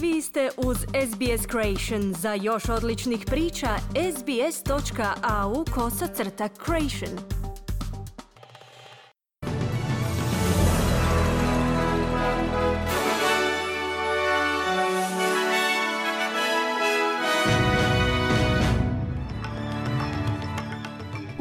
Vi ste uz SBS Creation. Za još odličnih priča, sbs.au/creation.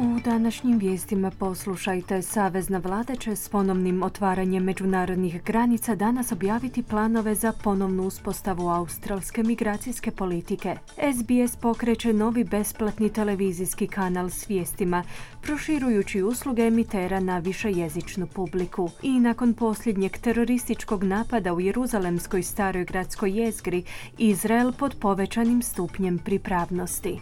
U današnjim vijestima poslušajte. Savezna vlada će s ponovnim otvaranjem međunarodnih granica danas objaviti planove za ponovnu uspostavu australske migracijske politike. SBS pokreće novi besplatni televizijski kanal s vijestima, proširujući usluge emitera na višejezičnu publiku. I nakon posljednjeg terorističkog napada u Jeruzalemskoj staroj gradskoj jezgri, Izrael pod povećanim stupnjem pripravnosti.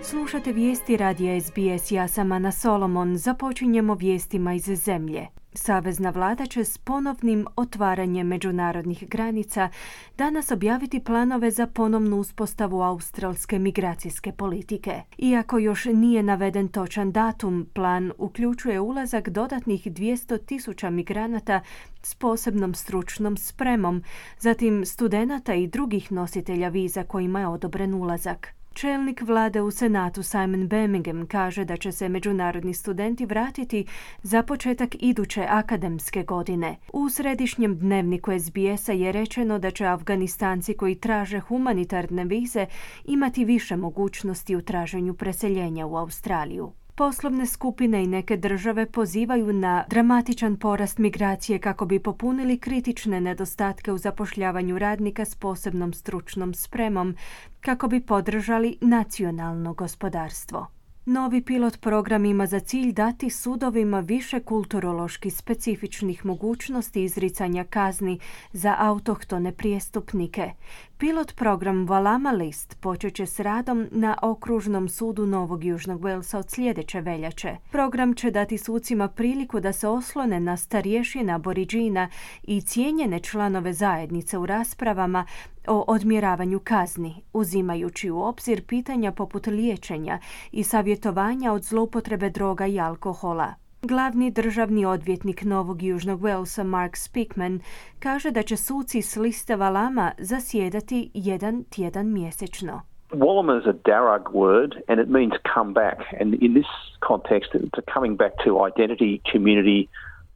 Slušate vijesti radija SBS, ja sam Ana Solomon. Započinjemo vijestima iz zemlje. Savezna vlada će s ponovnim otvaranjem međunarodnih granica danas objaviti planove za ponovnu uspostavu australske migracijske politike. Iako još nije naveden točan datum, plan uključuje ulazak dodatnih 200,000 migranata s posebnom stručnom spremom, zatim studenata i drugih nositelja viza kojima je odobren ulazak. Čelnik vlade u Senatu Simon Birmingham kaže da će se međunarodni studenti vratiti za početak iduće akademske godine. U središnjem dnevniku SBS-a je rečeno da će Afganistanci koji traže humanitarne vize imati više mogućnosti u traženju preseljenja u Australiju. Poslovne skupine i neke države pozivaju na dramatičan porast migracije kako bi popunili kritične nedostatke u zapošljavanju radnika s posebnom stručnom spremom, kako bi podržali nacionalno gospodarstvo. Novi pilot program ima za cilj dati sudovima više kulturološki specifičnih mogućnosti izricanja kazni za autohtone prijestupnike. Pilot program Walama List počet će s radom na okružnom sudu Novog Južnog Walesa od sljedeće veljače. Program će dati sucima priliku da se oslone na starješine Aboriđina i cijenjene članove zajednice u raspravama o odmjeravanju kazni, uzimajući u obzir pitanja poput liječenja i savjetovanja od zloupotrebe droga i alkohola. Glavni državni odvjetnik Novog Južnog Walesa Mark Speakman kaže da će suci s liste Walama zasjedati jedan tjedan mjesečno. Walama is a Darug word and it means come back, and in this context it's a coming back to identity, community,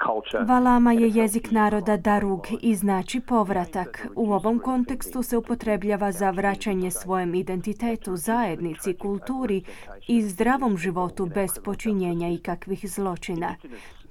culture. Walama je jezik naroda Darug i znači povratak. U ovom kontekstu se upotrebljava za vraćanje svojem identitetu, zajednici, kulturi i zdravom životu bez počinjenja ikakvih zločina.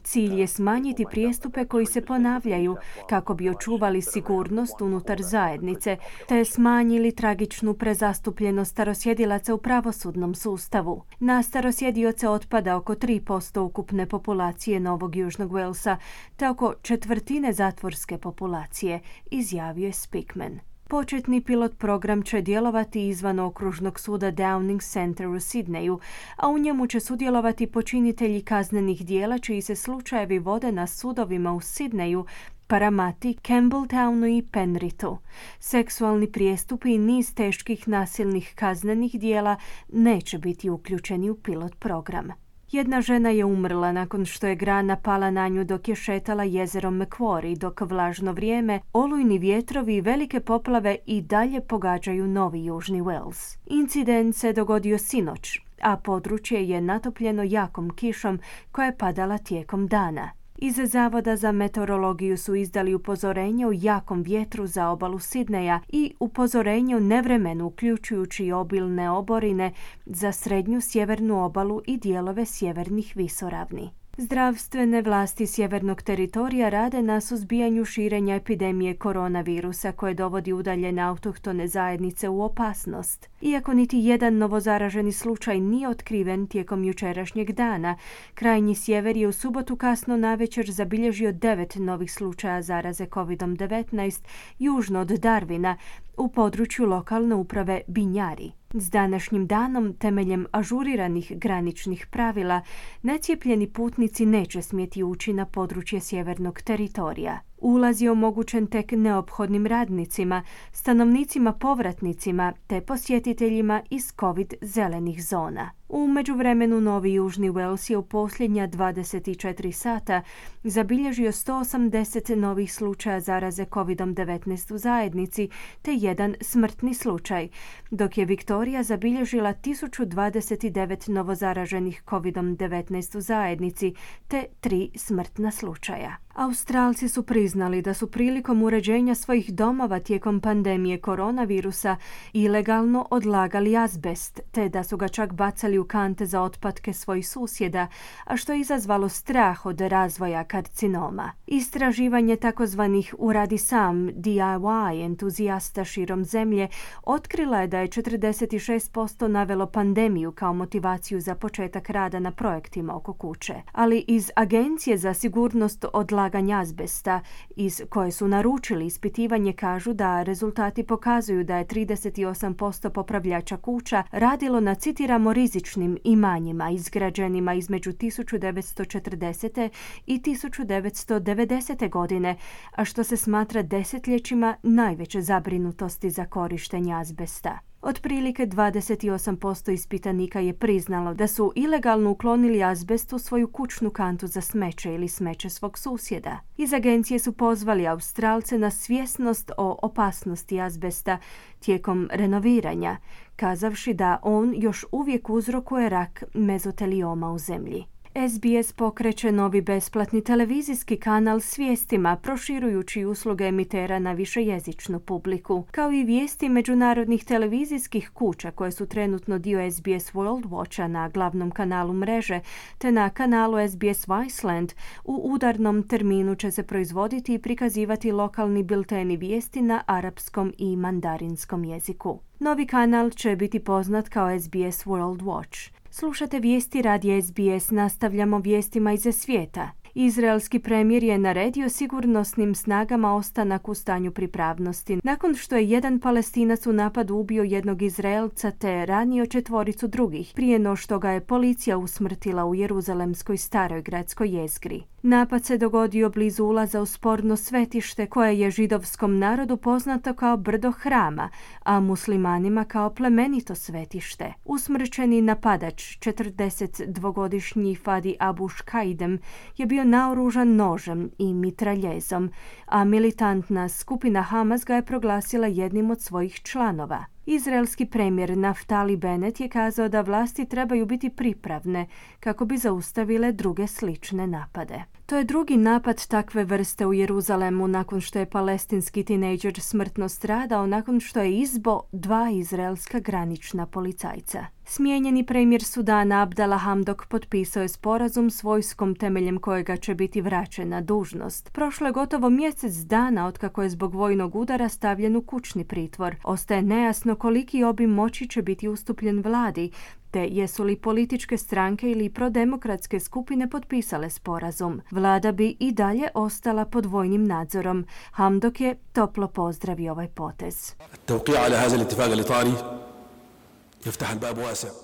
Cilj je smanjiti prijestupe koji se ponavljaju kako bi očuvali sigurnost unutar zajednice te smanjili tragičnu prezastupljenost starosjedilaca u pravosudnom sustavu. Na starosjedioce otpada oko 3% ukupne populacije Novog Južnog Walesa te oko četvrtine zatvorske populacije, izjavio je Speakman. Početni pilot program će djelovati izvan okružnog suda Downing Centre u Sidneju, a u njemu će sudjelovati počinitelji kaznenih djela čiji se slučajevi vode na sudovima u Sidneju, Paramati, Campbelltownu i Penrithu. Seksualni prijestupi i niz teških nasilnih kaznenih djela neće biti uključeni u pilot program. Jedna žena je umrla nakon što je grana pala na nju dok je šetala jezerom Macquarie, dok vlažno vrijeme, olujni vjetrovi i velike poplave i dalje pogađaju Novi Južni Wales. Incident se dogodio sinoć, a područje je natopljeno jakom kišom koja je padala tijekom dana. Iz Zavoda za meteorologiju su izdali upozorenje o jakom vjetru za obalu Sidneja i upozorenje o nevremenu uključujući obilne oborine za srednju sjevernu obalu i dijelove sjevernih visoravni. Zdravstvene vlasti sjevernog teritorija rade na suzbijanju širenja epidemije koronavirusa koje dovodi udaljene autohtone zajednice u opasnost. Iako niti jedan novozaraženi slučaj nije otkriven tijekom jučerašnjeg dana, krajnji sjever je u subotu kasno navečer zabilježio 9 novih slučaja zaraze COVID-19 južno od Darwina u području lokalne uprave Binjari. S današnjim danom, temeljem ažuriranih graničnih pravila, necijepljeni putnici neće smjeti ući na područje sjevernog teritorija. Ulaz je omogućen tek neophodnim radnicima, stanovnicima povratnicima te posjetiteljima iz COVID zelenih zona. U međuvremenu Novi Južni Wales je u posljednja 24 sata zabilježio 180 novih slučaja zaraze COVID-19 u zajednici te jedan smrtni slučaj, dok je Viktorija zabilježila 1029 novozaraženih COVID-19 u zajednici te 3 smrtna slučaja. Australci su priznali da su prilikom uređenja svojih domova tijekom pandemije koronavirusa ilegalno odlagali azbest, te da su ga čak bacali u kante za otpadke svojih susjeda, a što je izazvalo strah od razvoja karcinoma. Istraživanje takozvanih uradi sam DIY entuzijasta širom zemlje otkrila je da je 46% navelo pandemiju kao motivaciju za početak rada na projektima oko kuće. Ali iz Agencije za sigurnost odlaganja azbesta, iz koje su naručili ispitivanje, kažu da rezultati pokazuju da je 38% popravljača kuća radilo na, citiramo, rizičnim imanjima izgrađenima između 1940. i 1990. godine, a što se smatra desetljećima najveće zabrinutosti za korištenje azbesta. Otprilike 28% ispitanika je priznalo da su ilegalno uklonili azbest u svoju kućnu kantu za smeće ili smeće svog susjeda. Iz agencije su pozvali Australce na svjesnost o opasnosti azbesta tijekom renoviranja, kazavši da on još uvijek uzrokuje rak mezotelioma u zemlji. SBS pokreće novi besplatni televizijski kanal s vijestima, proširujući usluge emitera na višejezičnu publiku, kao i vijesti međunarodnih televizijskih kuća koje su trenutno dio SBS World Watcha na glavnom kanalu mreže, te na kanalu SBS Viceland. U udarnom terminu će se proizvoditi i prikazivati lokalni bilteni vijesti na arapskom i mandarinskom jeziku. Novi kanal će biti poznat kao SBS World Watch. Slušate vijesti radija SBS, nastavljamo vijestima iz svijeta. Izraelski premijer je naredio sigurnosnim snagama ostanak u stanju pripravnosti nakon što je jedan Palestinac u napadu ubio jednog Izraelca te ranio 4 drugih, prije no što ga je policija usmrtila u Jeruzalemskoj staroj gradskoj jezgri. Napad se dogodio blizu ulaza u sporno svetište koje je židovskom narodu poznato kao brdo hrama, a muslimanima kao plemenito svetište. Usmrćeni napadač, 42-godišnji Fadi Abu Shkaidem, je bio naoružan nožem i mitraljezom, a militantna skupina Hamas ga je proglasila jednim od svojih članova. Izraelski premijer Naftali Bennett je kazao da vlasti trebaju biti pripravne kako bi zaustavile druge slične napade. To je drugi napad takve vrste u Jeruzalemu nakon što je palestinski tinejdžer smrtno stradao nakon što je izbo 2 izraelska granična policajca. Smijenjeni premijer Sudana Abdallah Hamdok potpisao je sporazum s vojskom temeljem kojega će biti vraćen na dužnost. Prošlo je gotovo mjesec dana otkako je zbog vojnog udara stavljen u kućni pritvor. Ostaje nejasno koliki obim moći će biti ustupljen vladi, te jesu li političke stranke ili prodemokratske skupine potpisale sporazum. Vlada bi i dalje ostala pod vojnim nadzorom. Hamdok je toplo pozdravio ovaj potez.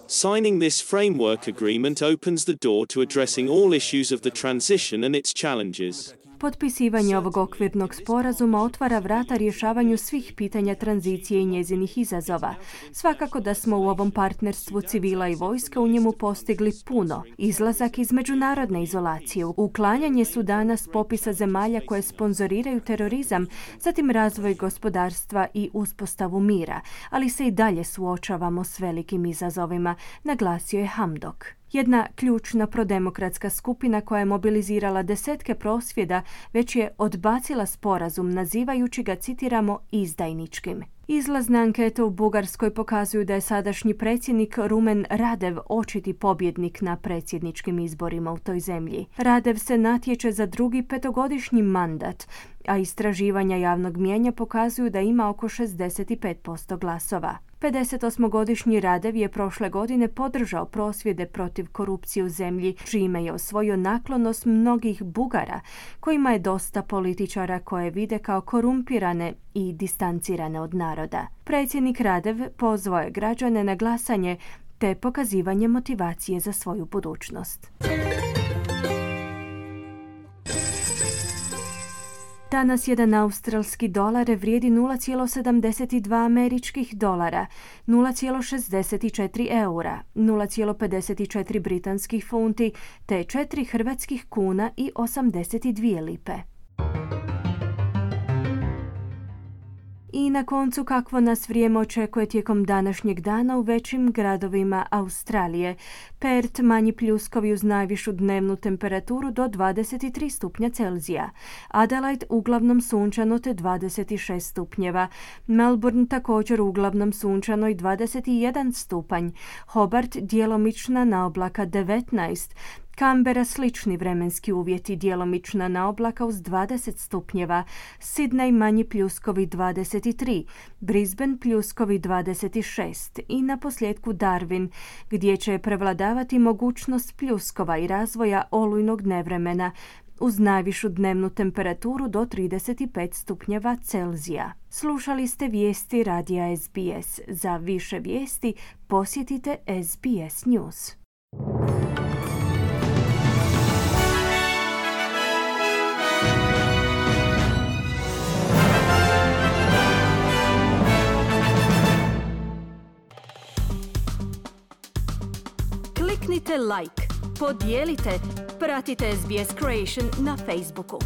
Signing this framework agreement opens the door to addressing all issues of the transition and its challenges. Potpisivanje ovog okvirnog sporazuma otvara vrata rješavanju svih pitanja tranzicije i njezinih izazova. Svakako da smo u ovom partnerstvu civila i vojske u njemu postigli puno. Izlazak iz međunarodne izolacije, uklanjanje Sudana s popisa zemalja koje sponzoriraju terorizam, zatim razvoj gospodarstva i uspostavu mira, ali se i dalje suočavamo s velikim izazovima, naglasio je Hamdok. Jedna ključna prodemokratska skupina koja je mobilizirala desetke prosvjeda već je odbacila sporazum nazivajući ga, citiramo, izdajničkim. Izlazne ankete u Bugarskoj pokazuju da je sadašnji predsjednik Rumen Radev očiti pobjednik na predsjedničkim izborima u toj zemlji. Radev se natječe za drugi 5-godišnji mandat, a istraživanja javnog mnijenja pokazuju da ima oko 65% glasova. 58-godišnji Radev je prošle godine podržao prosvjede protiv korupcije u zemlji, čime je osvojio naklonost mnogih Bugara, kojima je dosta političara koje vide kao korumpirane i distancirane od naroda. Predsjednik Radev pozvao je građane na glasanje te pokazivanje motivacije za svoju budućnost. Danas jedan australski dolar vrijedi 0,72 američkih dolara, 0,64 eura, 0,54 britanskih funti te 4 hrvatskih kuna i 82 lipe. I na koncu, kakvo nas vrijeme očekuje tijekom današnjeg dana u većim gradovima Australije. Perth manji pljuskovi uz najvišu dnevnu temperaturu do 23 stupnja Celzija. Adelaide uglavnom sunčano te 26 stupnjeva. Melbourne također uglavnom sunčano i 21 stupanj. Hobart djelomična naoblaka 19. Canberra slični vremenski uvjeti, djelomična naoblaka uz 20 stupnjeva, Sydney manji pljuskovi 23, Brisbane pljuskovi 26 i na posljedku Darwin, gdje će prevladavati mogućnost pljuskova i razvoja olujnog nevremena uz najvišu dnevnu temperaturu do 35 stupnjeva Celzija. Slušali ste vijesti radija SBS. Za više vijesti posjetite SBS News. Kliknite like, podijelite, pratite SBS Creation na Facebooku.